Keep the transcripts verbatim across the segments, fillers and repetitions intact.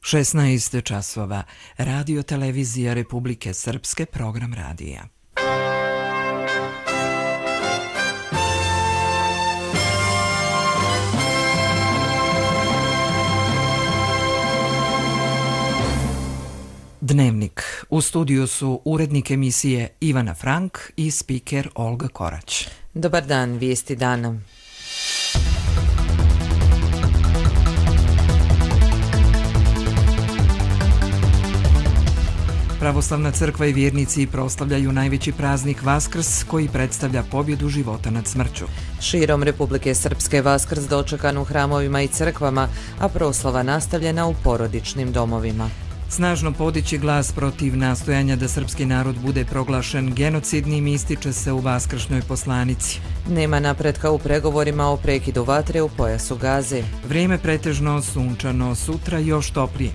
šesnaest časova. Radio televizija Republike Srpske, program radija. Dnevnik. U studiju su urednik emisije Ivana Frank i spiker Olga Korać. Dobar dan, vijesti dana. Pravoslavna crkva i vjernici proslavljaju najveći praznik Vaskrs, koji predstavlja pobjedu života nad smrću. Širom Republike Srpske Vaskrs dočekan u hramovima i crkvama, a proslava nastavljena u porodičnim domovima. Snažno podići glas protiv nastojanja da srpski narod bude proglašen genocidnim ističe se u vaskršnjoj poslanici. Nema napretka u pregovorima o prekidu vatre u pojasu Gaze. Vrijeme pretežno sunčano, sutra još toplije.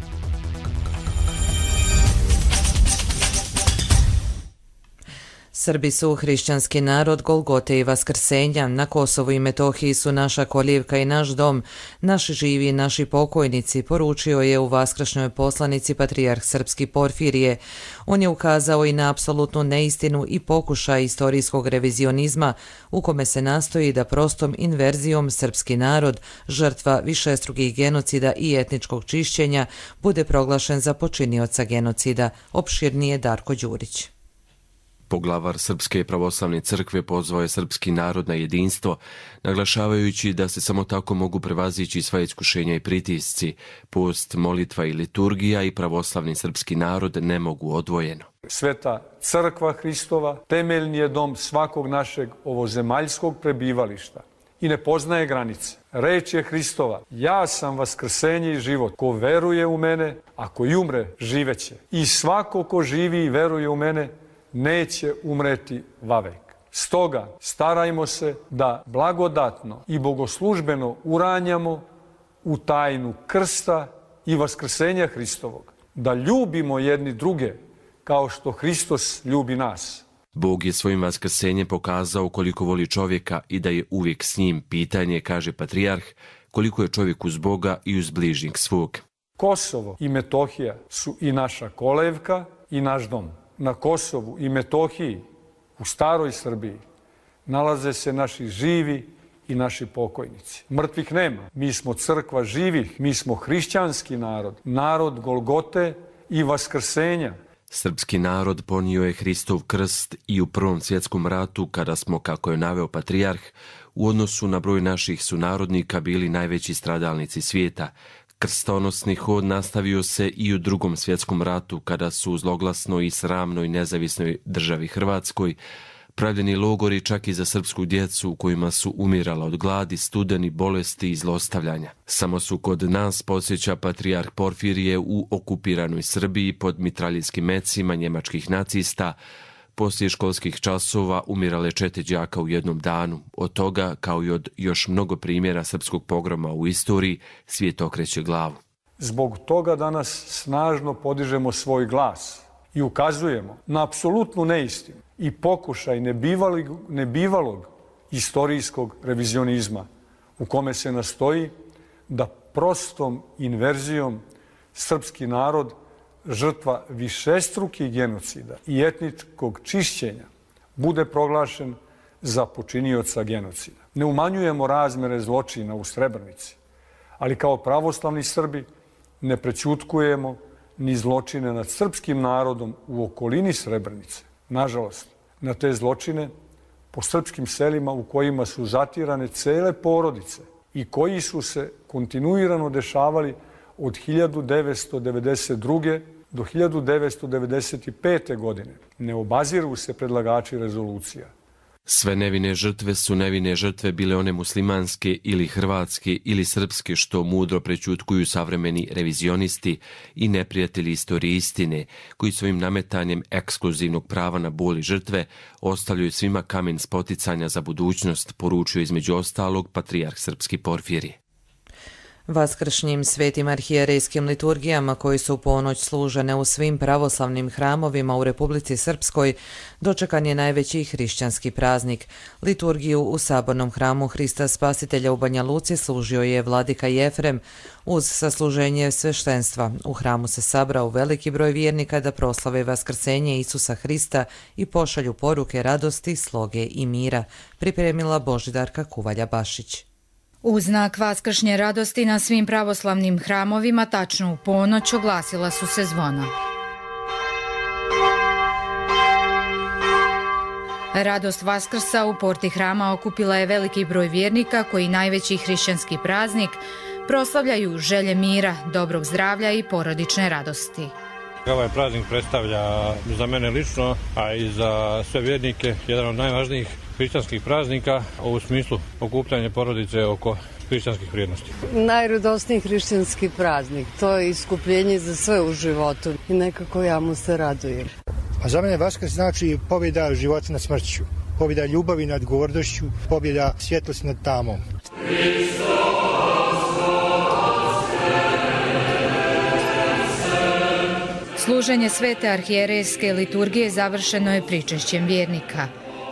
Srbi su hrišćanski narod Golgote i Vaskrsenja. Na Kosovu i Metohiji su naša kolijevka i naš dom, naši živi i naši pokojnici, poručio je u vaskršnjoj poslanici patrijarh srpski Porfirije. On je ukazao i na apsolutnu neistinu i pokušaj istorijskog revizionizma u kome se nastoji da prostom inverzijom srpski narod, žrtva višestrukih genocida i etničkog čišćenja, bude proglašen za počinioca genocida. Opširnije Darko Đurić. Poglavar Srpske pravoslavne crkve pozvao je srpski narod na jedinstvo, naglašavajući da se samo tako mogu prevazići sva iskušenja i pritisci. Post, molitva i liturgija i pravoslavni srpski narod ne mogu odvojeno. Sveta crkva Hristova temeljni je dom svakog našeg ovozemaljskog prebivališta i ne poznaje granice. Reč je Hristova: ja sam vaskrsenje i život. Ko veruje u mene, ako i umre, živeće. I svako ko živi i veruje u mene, neće umreti vavek. Stoga starajmo se da blagodatno i bogoslužbeno uranjamo u tajnu krsta i vaskrsenja Hristovog, da ljubimo jedni druge kao što Hristos ljubi nas. Bog je svojim vaskrsenjem pokazao koliko voli čovjeka i da je uvijek s njim. Pitanje, kaže patrijarh, koliko je čovjek uz Boga i uz bližnjeg svog. Kosovo i Metohija su i naša kolevka i naš dom. Na Kosovu i Metohiji, u staroj Srbiji, nalaze se naši živi i naši pokojnici. Mrtvih nema. Mi smo crkva živih, mi smo hrišćanski narod, narod Golgote i Vaskrsenja. Srpski narod ponio je Hristov krst i u Prvom svjetskom ratu, kada smo, kako je naveo patrijarh, u odnosu na broj naših sunarodnika bili najveći stradalnici svijeta. Krstonosni hod nastavio se i u Drugom svjetskom ratu, kada su u zloglasnoj i sramnoj nezavisnoj državi Hrvatskoj pravljeni logori čak i za srpsku djecu u kojima su umirala od gladi, studeni, bolesti i zlostavljanja. Samo su kod nas, podsjeća patrijarh Porfirije, u okupiranoj Srbiji pod mitraljskim mecima njemačkih nacista poslije školskih časova umirale četiri đaka u jednom danu. Od toga, kao i od još mnogo primjera srpskog pogroma u istoriji, svijet okreće glavu. Zbog toga danas snažno podižemo svoj glas i ukazujemo na apsolutnu neistinu i pokušaj nebivalog, nebivalog istorijskog revizionizma u kome se nastoji da prostom inverzijom srpski narod, žrtva višestrukih genocida i etničkog čišćenja, bude proglašen za počinioca genocida. Ne umanjujemo razmjere zločina u Srebrenici, ali kao pravoslavni Srbi ne prećutkujemo ni zločine nad srpskim narodom u okolini Srebrenice. Nažalost, na te zločine po srpskim selima u kojima su zatirane cele porodice i koji su se kontinuirano dešavali od hiljadu devetsto devedeset druge do hiljadu devetsto devedeset pete. godine. Ne obaziru se predlagači rezolucija. Sve nevine žrtve su nevine žrtve, bile one muslimanske ili hrvatske ili srpske, što mudro prećutkuju savremeni revizionisti i neprijatelji istorije istine, koji svojim nametanjem ekskluzivnog prava na bol i žrtve ostavljaju svima kamen spoticanja za budućnost, poručio između ostalog patrijarh srpski Porfirije. Vaskršnjim svetim arhijerejskim liturgijama koji su u ponoć služene u svim pravoslavnim hramovima u Republici Srpskoj dočekan je najveći hrišćanski praznik. Liturgiju u sabornom hramu Hrista Spasitelja u Banja Luci služio je vladika Jefrem. Uz sasluženje sveštenstva u hramu se sabrao veliki broj vjernika da proslave vaskrsenje Isusa Hrista i pošalju poruke radosti, sloge i mira, pripremila Božidarka Kuvalja-Bašić. U znak vaskršnje radosti na svim pravoslavnim hramovima tačno u ponoć oglasila su se zvona. Radost Vaskrsa u porti hrama okupila je veliki broj vjernika koji najveći hrišćanski praznik proslavljaju želje mira, dobrog zdravlja i porodične radosti. Ovaj praznik predstavlja za mene lično, a i za sve vjernike, jedan od najvažnijih hrišćanskih praznika u smislu okupljanja porodice oko hrišćanskih vrijednosti. Najradosniji hrišćanski praznik, to je iskupljenje za sve u životu i nekako ja mu se radujem. A za mene Vaskrs znači pobjeda života nad smrću, pobjeda ljubavi nad gordošću, pobjeda svjetlosti nad tamom. Služenje svete arhijerejske liturgije završeno je pričešćem vjernika.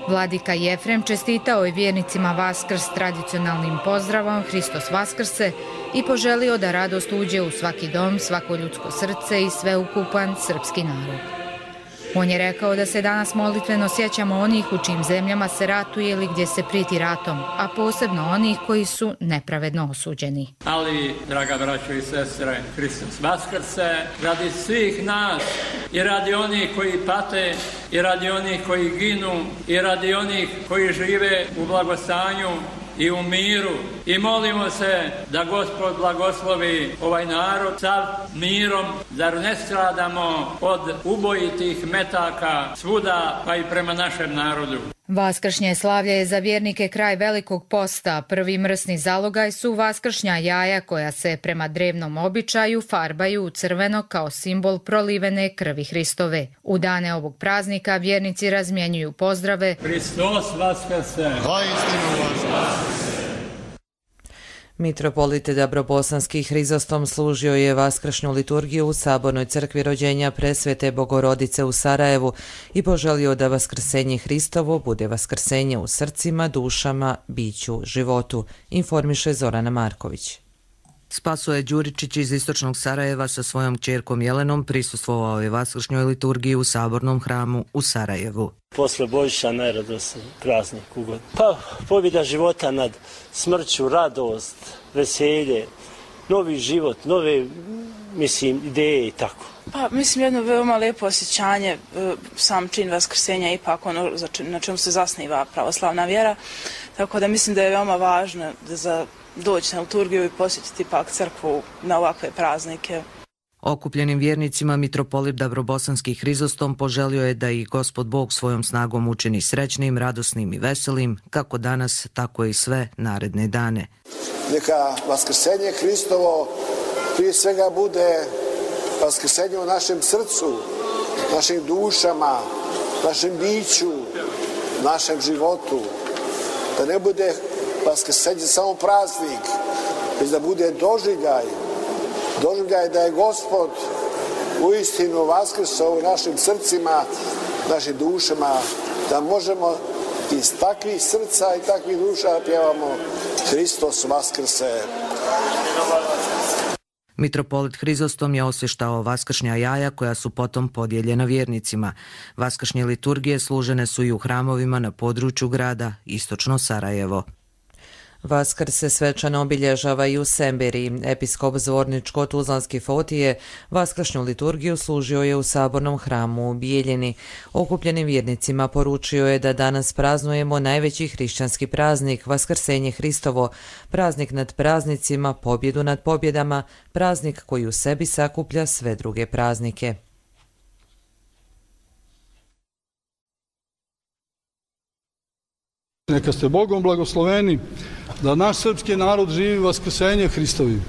Vladika Jefrem čestitao je vjernicima Vaskrs tradicionalnim pozdravom Hristos Vaskrse i poželio da radost uđe u svaki dom, svako ljudsko srce i sveukupan srpski narod. On je rekao da se danas molitveno sjećamo onih u čijim zemljama se ratuje ili gdje se prijeti ratom, a posebno onih koji su nepravedno osuđeni. Ali, draga braćo i sestre, Hristos Vaskrse, radi svih nas i radi onih koji pate i radi onih koji ginu i radi onih koji žive u blagostanju i u miru. I molimo se da Gospod blagoslovi ovaj narod sav mirom, zar ne stradamo od ubojitih metaka svuda pa i prema našem narodu. Vaskršnje slavlje je za vjernike kraj Velikog posta. Prvi mrsni zalogaj su vaskršnja jaja koja se prema drevnom običaju farbaju u crveno kao simbol prolivene krvi Hristove. U dane ovog praznika vjernici razmjenjuju pozdrave Hristos Vaskrse! Mitropolit Dabrobosanski Hrizostom služio je vaskršnju liturgiju u Sabornoj crkvi rođenja Presvete Bogorodice u Sarajevu i poželio da vaskrsenje Hristovo bude vaskrsenje u srcima, dušama, biću, životu, informiše Zorana Marković. Spasoje Đuričić iz istočnog Sarajeva sa svojom kćerkom Jelenom prisustvovao je vaskršnjoj liturgiji u Sabornom hramu u Sarajevu. Posle Božića najradosniji praznik ugod. Pa pobjeda života nad smrću, radost, veselje, novi život, nove, mislim, ideje i tako. Pa mislim jedno veoma lijepo osjećanje, sam čin vaskrsenja ipak ono na čemu se zasniva pravoslavna vjera, tako da mislim da je veoma važno da za doći na liturgiju i posjetiti pak crkvu na ovakve praznike. Okupljenim vjernicima mitropolit Dabrobosanski Hrizostom poželio je da ih Gospod Bog svojom snagom učini srećnim, radosnim i veselim, kako danas, tako i sve naredne dane. Neka vaskrsenje Hristovo prije svega bude vaskrsenje u našem srcu, našim dušama, našem biću, našem životu. Da ne bude vaskrsenje samo praznik, već da bude doživljaj. Doživljaj da je Gospod uistinu vaskrsao u našim srcima, našim dušama, da možemo iz takvih srca i takvih duša pjevamo Hristos Vaskrse. Mitropolit Hrizostom je osvještao vaskršnja jaja koja su potom podijeljena vjernicima. Vaskršnje liturgije služene su i u hramovima na području grada Istočno Sarajevo. Vaskrs se svečano obilježava i u Semberiji. Episkop Zvorničko-Tuzlanski Fotije vaskršnju liturgiju služio je u Sabornom hramu u Bijeljini. Okupljenim vjernicima poručio je da danas praznujemo najveći hrišćanski praznik, Vaskrsenje Hristovo, praznik nad praznicima, pobjedu nad pobjedama, praznik koji u sebi sakuplja sve druge praznike. Neka ste Bogom blagosloveni da naš srpski narod živi vaskrsenje Hristovi,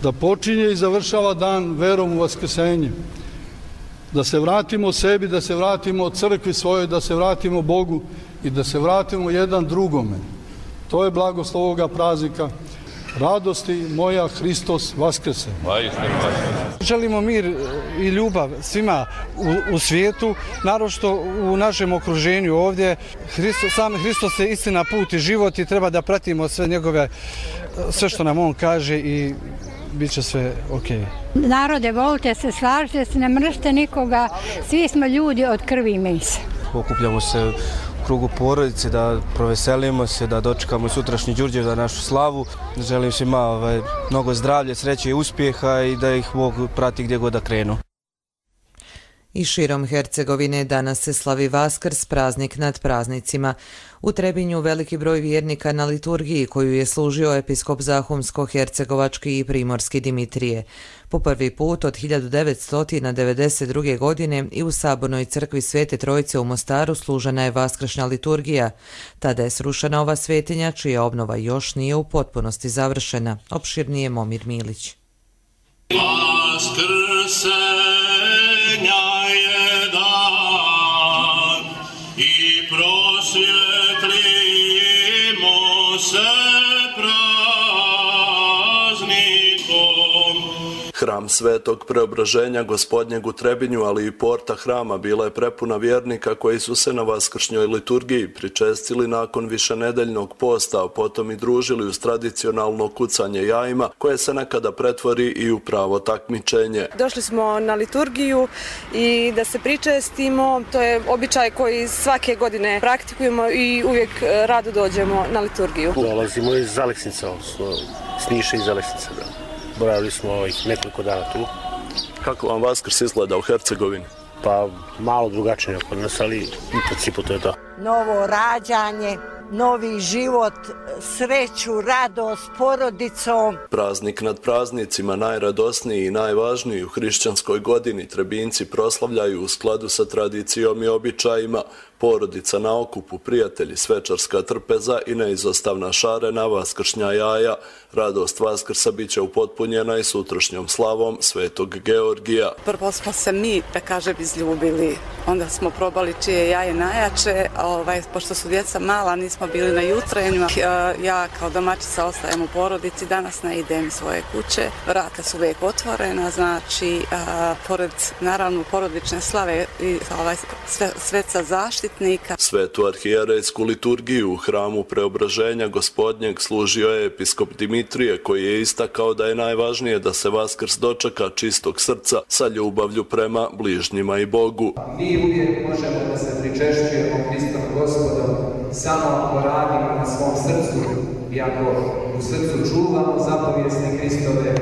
da počinje i završava dan verom u vaskrsenje, da se vratimo sebi, da se vratimo crkvi svojoj, da se vratimo Bogu i da se vratimo jedan drugome. To je blagoslov ovoga praznika radosti moja, Hristos vaskrse. Želimo mir i ljubav svima u, u svijetu, naročito u našem okruženju ovdje. Hristos, sam Hristos je istina, put i život i treba da pratimo sve njegove, sve što nam on kaže i bit će sve okej. Narode, volite se, slažite se, ne mržite nikoga, svi smo ljudi od krvi i mesa. Okupljamo se u krugu porodice, da proveselimo se, da dočekamo sutrašnji Đurđevdan, našu slavu. Želim svima ovaj, mnogo zdravlja, sreće i uspjeha i da ih Bog prati gdje god da krenu. I širom Hercegovine danas se slavi Vaskrs, praznik nad praznicima. U Trebinju veliki broj vjernika na liturgiji koju je služio episkop Zahumsko-hercegovački i primorski Dimitrije. Po prvi put od hiljadu devetsto devedeset druge. godine i u Sabornoj crkvi Svete Trojice u Mostaru služena je vaskršnja liturgija. Tada je srušena ova svetinja čija obnova još nije u potpunosti završena. Opširnije Momir Milić. Hram Svetog Preobraženja Gospodnjeg u Trebinju, ali i porta hrama bila je prepuna vjernika koji su se na vaskršnjoj liturgiji pričestili nakon višenedeljnog posta, a potom i družili uz tradicionalno kucanje jajima koje se nekada pretvori i u pravo takmičenje. Došli smo na liturgiju i da se pričestimo, to je običaj koji svake godine praktikujemo i uvijek rado dođemo na liturgiju. Dolazimo iz Aleksnica, s Niša iz Aleksnica. Boravili smo ovih nekoliko dana tu. Kako vam Vaskrs izgleda u Hercegovini? Pa malo drugačije kod nas, ali u principu to je to. Novo rađanje, novi život, sreću, radost, porodicom. Praznik nad praznicima, najradosniji i najvažniji u hrišćanskoj godini, Trebinci proslavljaju u skladu sa tradicijom i običajima. Porodica na okupu, prijatelji, svečarska trpeza i neizostavna šarena, vaskršnja jaja. Radost Vaskrsa bit će upotpunjena i sutrašnjom slavom Svetog Georgija. Prvo smo se mi, da kažem, izljubili. Onda smo probali čije jaje najjače. Ovaj, pošto su djeca mala, nismo bili na jutrenju. Ja kao domaćica ostajem u porodici. Danas ne idem iz svoje kuće. Vrata su uvijek otvorena. Znači, a, pored, naravno, porodične slave i ovaj, sve, sveca zaštitnika. Svetu arhijerejsku liturgiju u hramu Preobraženja Gospodnjeg služio je episkop Dimitrije, koji je istakao da je najvažnije da se Vaskrs dočeka čistog srca sa ljubavlju prema bližnjima i Bogu. Mi uvijek možemo da se pričešćujemo Hristom Gospodom samo ako radimo na svom srcu i ako u srcu čuvamo zapovijesti Hristove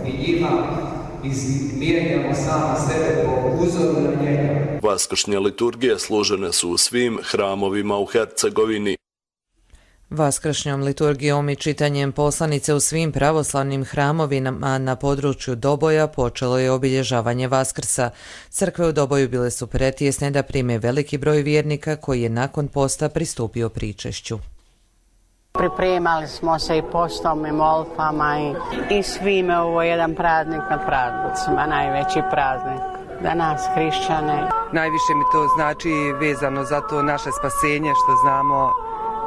i njima izmijenjamo sami sebe po uzoru na njega. Vaskršnje liturgije služene su u svim hramovima u Hercegovini. Vaskršnjom liturgijom i čitanjem poslanice u svim pravoslavnim hramovima na području Doboja počelo je obilježavanje Vaskrsa. Crkve u Doboju bile su pretjesne da prime veliki broj vjernika koji je nakon posta pristupio pričešću. Pripremali smo se i postom i molitvama i, i svime, ovo je jedan praznik na praznicima, najveći praznik za nas hrišćane. Najviše mi to znači vezano za to naše spasenje, što znamo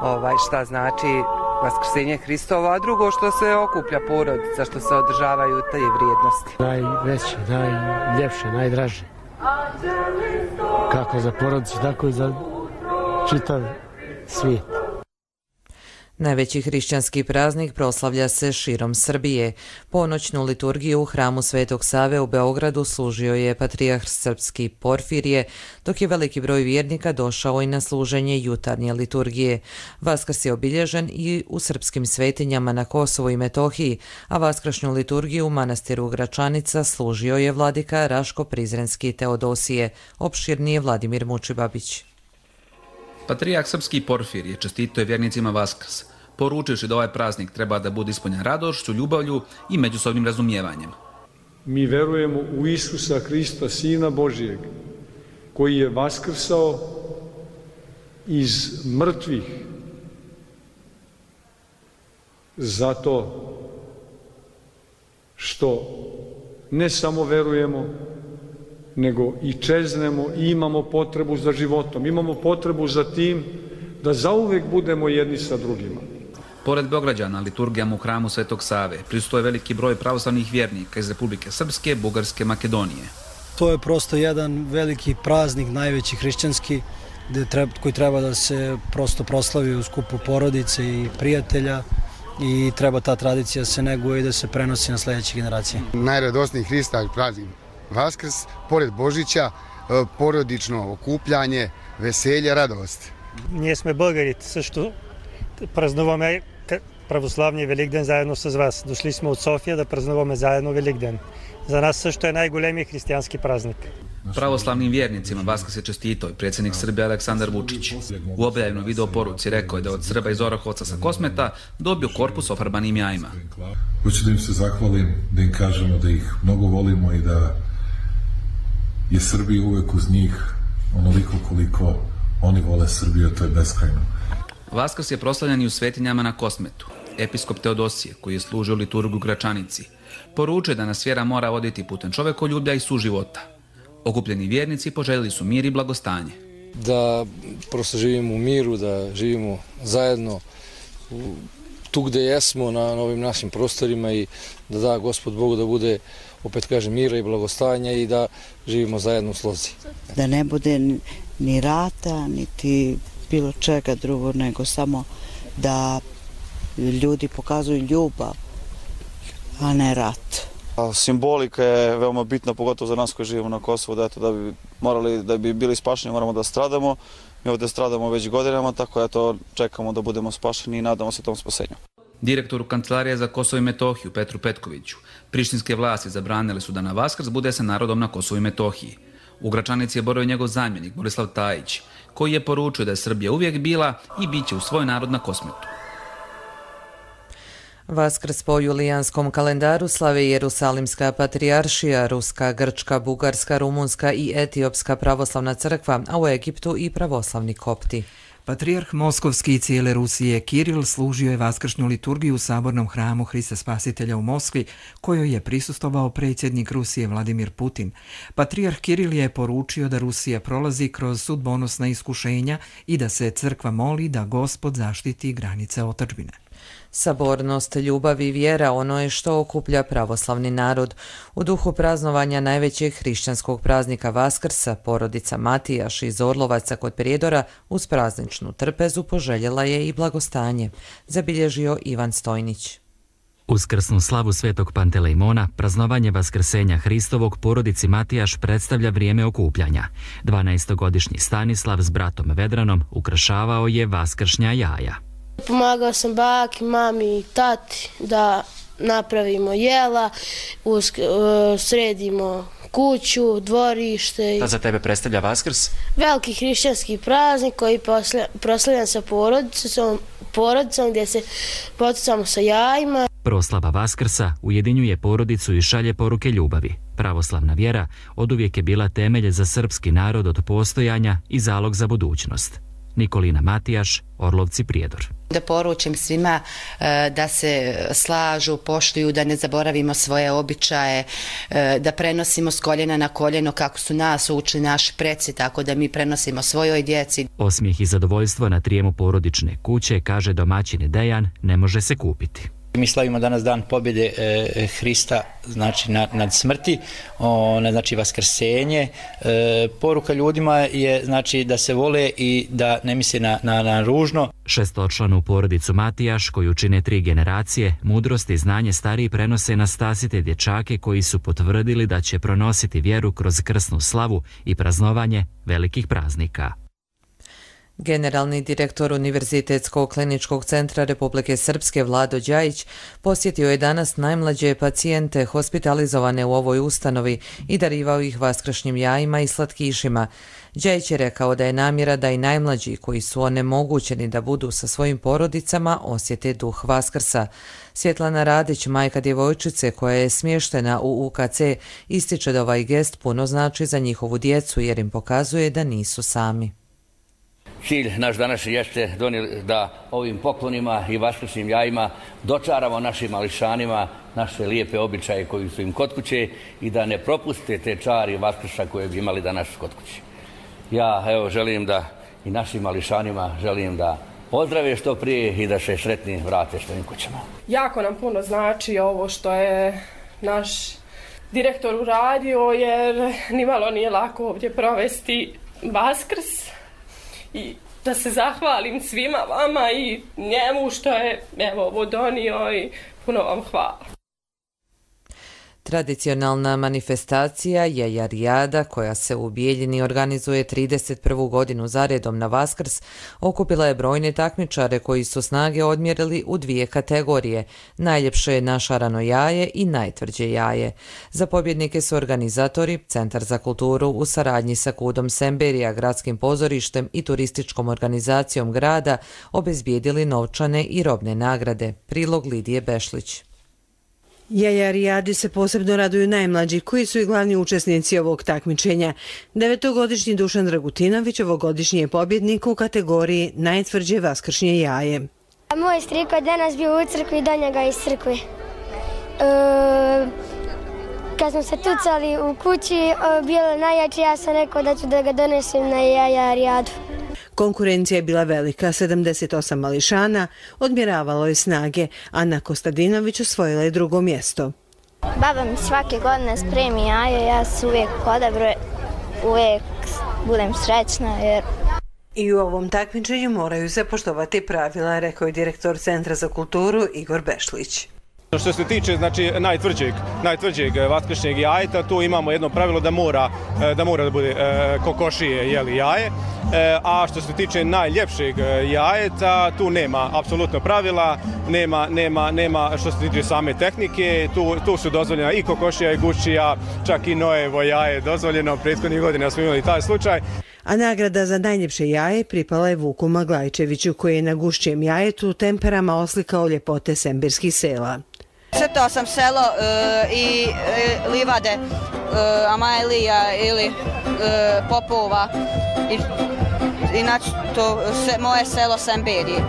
ovaj, šta znači vaskrsenje Hristovo, a drugo što se okuplja porodica, što se održavaju te vrijednosti. Najveće, najljepše, najdraže. Kako za porodicu, tako i za čitav svijet. Najveći hrišćanski praznik proslavlja se širom Srbije. Ponoćnu liturgiju u hramu Svetog Save u Beogradu služio je patrijarh srpski Porfirije, dok je veliki broj vjernika došao i na služenje jutarnje liturgije. Vaskrs je obilježen i u srpskim svetinjama na Kosovu i Metohiji, a vaskršnju liturgiju u manastiru Gračanica služio je vladika Raško Prizrenski Teodosije. Opširnije Vladimir Mučibabić. Patrijarh srpski Porfirije čestitao je vjernicima Vaskrs, poručivši da ovaj praznik treba da bude ispunjen radošću, ljubavlju i međusobnim razumijevanjem. Mi verujemo u Isusa Hrista, Sina Božijeg, koji je vaskrsao iz mrtvih. Zato što ne samo verujemo, nego i čeznemo i imamo potrebu za životom. Imamo potrebu za tim da zauvek budemo jedni sa drugima. Pored Beograđana, liturgijama u hramu Svetog Save prisustvuje veliki broj pravoslavnih vjernika iz Republike Srpske, Bugarske, Makedonije. To je prosto jedan veliki praznik, najveći hrišćanski, koji treba da se prosto proslavi u skupu porodice i prijatelja i treba ta tradicija se neguje i da se prenosi na sljedeće generacije. Najradosniji Hrista praznik Vaskrs, pored Božića, porodično okupljanje, veselje, radost. Ние сме българи, също празнуваме православния Великден заедно с вас. Дошли сме от София да празнуваме заедно Великден. За нас също е най-големият християнски празник. Pravoslavnim vjernicima Vaskrs je čestitao i predsjednik Srbije Aleksandar Vučić. U objavljenoj video poruci rekao je da od Srba iz Orahovca sa Kosmeta dobio korpus ofarbanim jajima. Hoću da im se zahvalim, da im kažemo da ih mnogo volimo i da je Srbija uvek uz njih onoliko koliko oni vole Srbiju, to je beskrajno. Vaskrs je proslavljen i u svetinjama na Kosmetu. Episkop Teodosije, koji je služio liturgiju u Gračanici, poručuje da nas vjera mora voditi putem čovekoljublja i suživota. Okupljeni vjernici poželjeli su mir i blagostanje. Da prosto živimo u miru, da živimo zajedno tu gde jesmo na ovim našim prostorima i da da Gospod Bogu da bude, opet kažem, mira i blagostanja i da živimo zajedno u slozi. Da ne bude ni rata, niti bilo čega drugo, nego samo da ljudi pokazuju ljubav, a ne rat. Simbolika je veoma bitna, pogotovo za nas koji živimo na Kosovu, da, eto, da bi morali, da bi bili spašeni, moramo da stradamo. Mi ovdje stradamo već godinama, tako eto, čekamo da budemo spašeni i nadamo se tom spasenju. Direktoru Kancelarije za Kosovo i Metohiju Petru Petkoviću prištinske vlasti zabranile su da na Vaskrs bude sa narodom na Kosovu i Metohiji. U Gračanici je boravio njegov zamjenik Borislav Tajić, koji je poručio da je Srbija uvijek bila i bit će u svoj narod na Kosmetu. Vaskrs po julijanskom kalendaru slave Jerusalimska patrijaršija, Ruska, Grčka, Bugarska, Rumunska i Etiopska pravoslavna crkva, a u Egiptu i pravoslavni kopti. Patrijarh Moskovski i cijele Rusije Kiril služio je vaskršnju liturgiju u sabornom hramu Hrista Spasitelja u Moskvi, kojoj je prisustvovao predsjednik Rusije Vladimir Putin. Patrijarh Kiril je poručio da Rusija prolazi kroz sudbonosna iskušenja i da se crkva moli da Gospod zaštiti granice otadžbine. Sabornost, ljubav i vjera ono je što okuplja pravoslavni narod. U duhu praznovanja najvećeg hrišćanskog praznika Vaskrsa, porodica Matijaš iz Orlovaca kod Prijedora uz prazničnu trpezu poželjela je i blagostanje, zabilježio Ivan Stojnić. Uz krsnu slavu Svetog Pantelejmona, praznovanje Vaskrsenja Hristovog porodici Matijaš predstavlja vrijeme okupljanja. dvanaestogodišnji Stanislav s bratom Vedranom ukrašavao je vaskršnja jaja. Pomagao sam baki, mami i tati da napravimo jela, uz, uh, sredimo kuću, dvorište. Šta za tebe predstavlja Vaskrs? Veliki hrišćanski praznik koji je proslavljan sa porodicom, porodicom gdje se poticamo sa jajima. Proslava Vaskrsa ujedinjuje porodicu i šalje poruke ljubavi. Pravoslavna vjera oduvijek je bila temelj za srpski narod od postojanja i zalog za budućnost. Nikolina Matijaš, Orlovci, Prijedor. Da poručim svima da se slažu, poštuju, da ne zaboravimo svoje običaje, da prenosimo s koljena na koljeno kako su nas učili naši preci, tako da mi prenosimo svojoj djeci. Osmijeh i zadovoljstvo na trijemu porodične kuće, kaže domaćin Dejan, ne može se kupiti. Mi slavimo danas dan pobjede e, Hrista, znači nad, nad smrti, ona znači vaskrsenje. E, poruka ljudima je znači da se vole i da ne misle na, na, na ružno. Šestočlanu porodicu Matijaš, koju čine tri generacije, mudrost i znanje stariji prenose na stasite dječake koji su potvrdili da će pronositi vjeru kroz krsnu slavu i praznovanje velikih praznika. Generalni direktor Univerzitetskog kliničkog centra Republike Srpske Vlado Đajić posjetio je danas najmlađe pacijente hospitalizovane u ovoj ustanovi i darivao ih vaskršnjim jajima i slatkišima. Đajić je rekao da je namjera da i najmlađi koji su onemogućeni da budu sa svojim porodicama osjete duh Vaskrsa. Svjetlana Radić, majka djevojčice koja je smještena u U K C, ističe da ovaj gest puno znači za njihovu djecu jer im pokazuje da nisu sami. Cilj naš današnji jeste da ovim poklonima i vaskršnjim jajima dočaramo našim mališanima naše lijepe običaje koji su im kod kuće i da ne propuste te čari Vaskrša koje bi imali danas kod kuće. Ja evo želim da i našim mališanima želim da ozdrave što prije i da se sretni vrate svojim kućama. Jako nam puno znači ovo što je naš direktor uradio, jer nimalo nije lako ovdje provesti Vaskrs i da se zahvalim svima vama i njemu što je evo ovo donio i puno vam hvala. Tradicionalna manifestacija Jajarijada, koja se u Bijeljini organizuje trideset prvu godinu zaredom na Vaskrs, okupila je brojne takmičare koji su snage odmjerili u dvije kategorije, najljepše našarano jaje i najtvrđe jaje. Za pobjednike su organizatori, Centar za kulturu u saradnji sa Kudom Semberija, gradskim pozorištem i turističkom organizacijom grada obezbijedili novčane i robne nagrade. Prilog Lidije Bešlić. Jajarijadi se posebno raduju najmlađi, koji su i glavni učesnici ovog takmičenja. Devetogodišnji Dušan Dragutinović ovogodišnji je pobjednik u kategoriji najtvrđe vaskršnje jaje. Moj striko je danas bio u crkvi, do njega iz crkve. E, kad smo se tucali u kući, bilo najjače, ja sam rekao da ću da ga donesem na Jajarijadu. Konkurencija je bila velika, sedamdeset osam mališana odmjeravalo je snage. Ana Kostadinović osvojila je drugo mjesto. Baba mi svake godine spremi jaje, ja se uvijek odabro, uvijek budem srećna. Jer... I u ovom takmičenju moraju se poštovati pravila, rekao je direktor Centra za kulturu Igor Bešlić. Što se tiče znači najtvrđeg, najtvrđeg vaskršnjeg jajeta, tu imamo jedno pravilo da mora da mora da bude e, kokošije jeli jaje, e, a što se tiče najljepšeg jajeta, tu nema apsolutno pravila, nema nema nema što se tiče same tehnike, tu tu su dozvoljena i kokošija i guščija, čak i Noevo jaje dozvoljeno, prethodnih godina smo imali taj slučaj. A nagrada za najljepše jaje pripala je Vuku Maglajčeviću, koji je na guščijem jajetu temperama oslikao ljepote semberskih sela. Crtao sam selo e, i e, livade e, Amajlija ili e, Popova i inače to se, moje selo Semberije.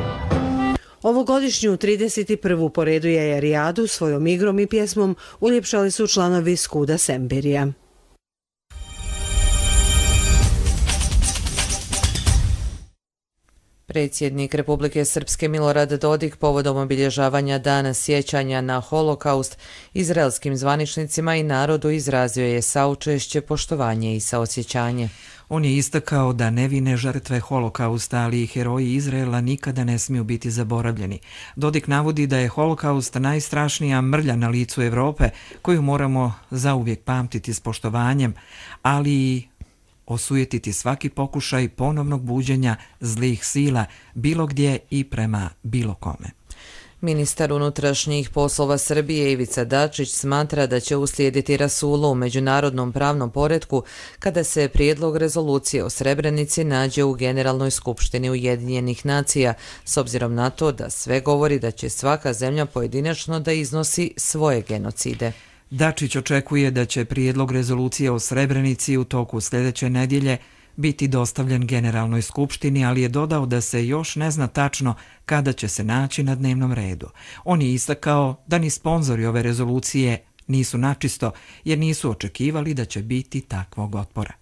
Ovogodišnju trideset prvu po redu Jajarijadu svojom igrom i pjesmom uljepšali su članovi Skuda Semberija. Predsjednik Republike Srpske Milorad Dodik povodom obilježavanja dana sjećanja na holokaust izraelskim zvaničnicima i narodu izrazio je saučešće, poštovanje i saosjećanje. On je istakao da nevine žrtve holokausta, ali i heroji Izraela nikada ne smiju biti zaboravljeni. Dodik navodi da je holokaust najstrašnija mrlja na licu Evrope, koju moramo zauvijek pamtiti s poštovanjem, ali i osujetiti svaki pokušaj ponovnog buđenja zlih sila bilo gdje i prema bilo kome. Ministar unutrašnjih poslova Srbije Ivica Dačić smatra da će uslijediti rasulu u međunarodnom pravnom poretku kada se prijedlog rezolucije o Srebrenici nađe u Generalnoj skupštini Ujedinjenih nacija, s obzirom na to da sve govori da će svaka zemlja pojedinačno da iznosi svoje genocide. Dačić očekuje da će prijedlog rezolucije o Srebrenici u toku sljedeće nedjelje biti dostavljen Generalnoj skupštini, ali je dodao da se još ne zna tačno kada će se naći na dnevnom redu. On je istakao da ni sponzori ove rezolucije nisu načisto, jer nisu očekivali da će biti takvog otpora.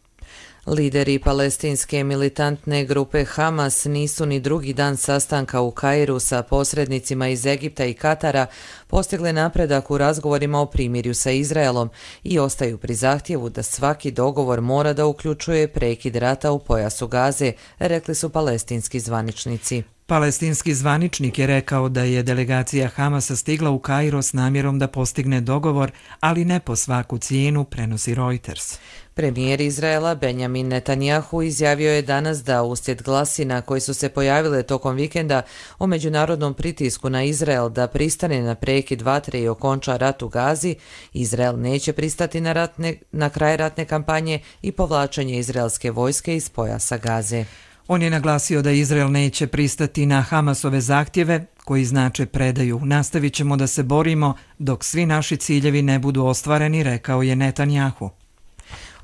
Lideri palestinske militantne grupe Hamas nisu ni drugi dan sastanka u Kairu sa posrednicima iz Egipta i Katara postigli napredak u razgovorima o primirju sa Izraelom i ostaju pri zahtjevu da svaki dogovor mora da uključuje prekid rata u pojasu Gaze, rekli su palestinski zvaničnici. Palestinski zvaničnik je rekao da je delegacija Hamasa stigla u Kairo s namjerom da postigne dogovor, ali ne po svaku cijenu, prenosi Reuters. Premijer Izraela Benjamin Netanjahu izjavio je danas da uslijed glasina koji su se pojavile tokom vikenda o međunarodnom pritisku na Izrael da pristane na prekid vatre i okonča rat u Gazi, Izrael neće pristati na, ratne, na kraj ratne kampanje i povlačenje izraelske vojske iz pojasa Gaze. On je naglasio da Izrael neće pristati na Hamasove zahtjeve, koji znače predaju. Nastavit ćemo da se borimo dok svi naši ciljevi ne budu ostvareni, rekao je Netanjahu.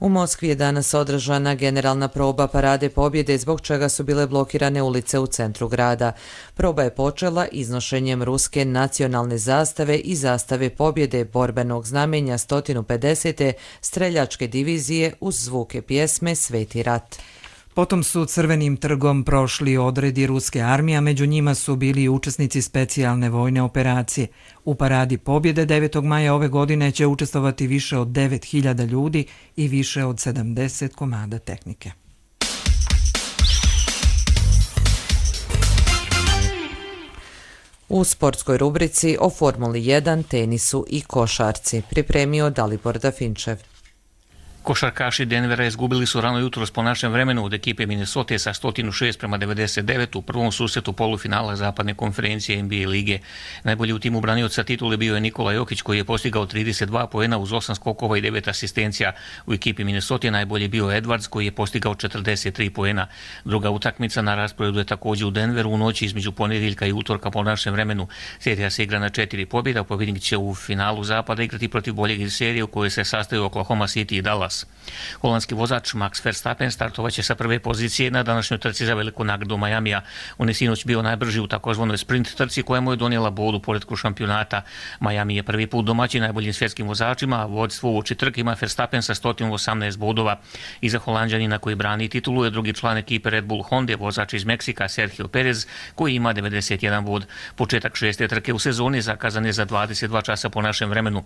U Moskvi je danas održana generalna proba Parade pobjede, zbog čega su bile blokirane ulice u centru grada. Proba je počela iznošenjem ruske nacionalne zastave i zastave pobjede borbenog znamenja sto pedeset. streljačke divizije uz zvuke pjesme Sveti rat. Potom su Crvenim trgom prošli odredi ruske armije, a među njima su bili i učesnici specijalne vojne operacije. U paradi pobjede devetog maja ove godine će učestvovati više od devet hiljada ljudi i više od sedamdeset komada tehnike. U sportskoj rubrici o Formuli jedan, tenisu i košarci pripremio Dalibor Dafinčev. Košarkaši Denvera izgubili su rano jutros po našem vremenu od ekipe Minnesota sa sto šest prema devedeset devet u prvom susretu polufinala zapadne konferencije N B A lige. Najbolji u timu branioca titule bio je Nikola Jokić koji je postigao trideset dva poena uz osam skokova i devet asistencija. U ekipi Minnesota najbolji bio Edwards koji je postigao četrdeset tri poena. Druga utakmica na rasporedu je također u Denveru u noći između ponedjeljka i utorka po našem vremenu. Serija se igra na četiri pobjeda, pobjednik će u finalu zapada igrati protiv boljeg iz serije u kojoj se sastaju Oklahoma City i Dallas. Holandski vozač Max Verstappen startovaće sa prve pozicije na današnjoj trci za veliku nagradu Majamija. On je sinoć bio najbrži u takozvanoj sprint trci koja mu je donijela bod u poretku šampionata. Miami je prvi put domaći najboljim svjetskim vozačima, a vodstvo uoči trke ima Verstappen sa sto osamnaest bodova. Iza Holanđanina koji brani titulu je drugi član ekipe Red Bull Honda, vozač iz Meksika Sergio Perez koji ima devedeset jedan bod. Početak šeste trke u sezoni zakazan je za dvadeset dva časa po našem vremenu.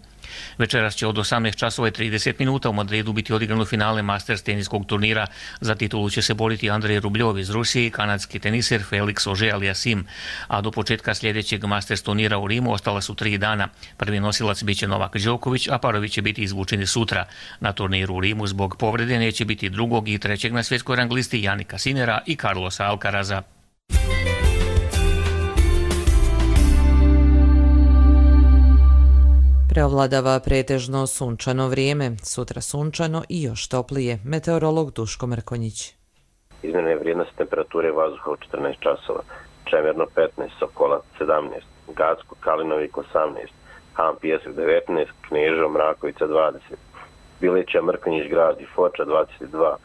Večeras će od osamnaest časova i trideset minuta u Madridu biti odigrano finale Masters teniskog turnira. Za titulu će se boriti Andrej Rubljov iz Rusije i kanadski teniser Felix Auger-Aliassime. A do početka sljedećeg Masters turnira u Rimu ostala su tri dana. Prvi nosilac biće Novak Đoković, a parovi će biti izvučeni sutra. Na turniru u Rimu zbog povrede neće biti drugog i trećeg na svjetskoj rang listi Janika Sinera i Carlosa Alcaraza. Preovladava pretežno sunčano vrijeme, sutra sunčano i još toplije. Meteorolog Duško Mrkonjić. Izmjene vrijednosti temperature vazduha u četrnaest časova, Čemerno petnaest, Sokolac sedamnaest, Gacko, Kalinovik osamnaest, Han Pijesak devetnaest, Kneževo, Mrakovica dvadeset, Bileća, Mrkonjić grad i Foča dvadeset dva,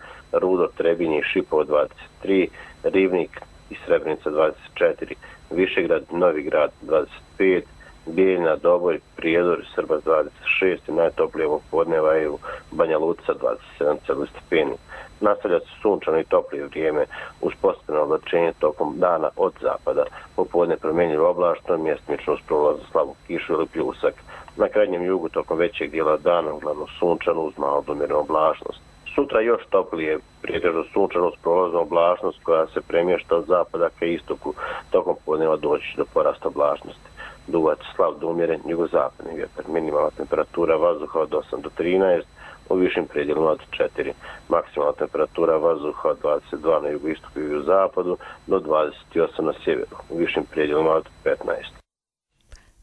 Rudo, Trebinje i Šipovo dvadeset tri, Rivnik i Srebrenica dvadeset četiri, Višegrad, Novi grad dvadeset pet, Bijeljina, Doboj, Prijedor, Srbac dvadeset šest i najtoplije ovog podneva je u Banja Luca dvadeset sedam stepeni. Nastavlja se sunčano i toplije vrijeme uz postepeno oblačenje tokom dana od zapada. Popodne promjenjivo oblačno, mjestimično uz prolaz slabu kišu ili pljusak. Na krajnjem jugu tokom većeg dijela dana uglavnom sunčano uz malo do umjerenu oblačnost. Sutra još toplije, prijetežno sunčano uz prolaznu oblačnost koja se premješta od zapada ka istoku. Tokom podneva doći do porasta oblačnosti. Duvac slab do umjeren jugozapadni vjetar. Minimalna temperatura vazduha od osam do trinaest, u višim predjelima od četiri. Maksimalna temperatura vazduha od dvadeset dva na jugoistoku i jugozapadu do dvadeset osam na sjeveru, u višim predjelima od petnaest.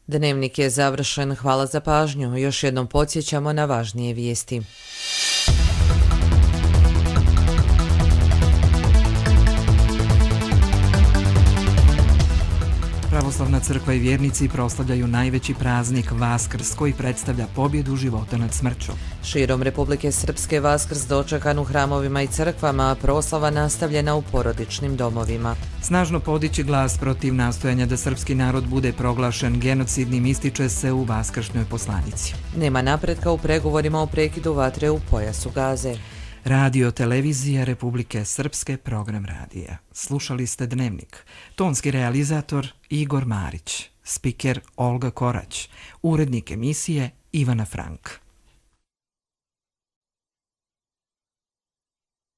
Dnevnik je završen. Hvala za pažnju. Još jednom podsjećamo na važnije vijesti. Pravoslavna crkva i vjernici proslavljaju najveći praznik Vaskrs koji predstavlja pobjedu života nad smrću. Širom Republike Srpske Vaskrs dočekan u hramovima i crkvama, a proslava nastavljena u porodičnim domovima. Snažno podići glas protiv nastojanja da srpski narod bude proglašen genocidnim ističe se u vaskršnjoj poslanici. Nema napretka u pregovorima o prekidu vatre u pojasu Gaze. Radio Televizija Republike Srpske, program radija. Slušali ste Dnevnik. Tonski realizator Igor Marić, spiker Olga Korać, urednik emisije Ivana Frank.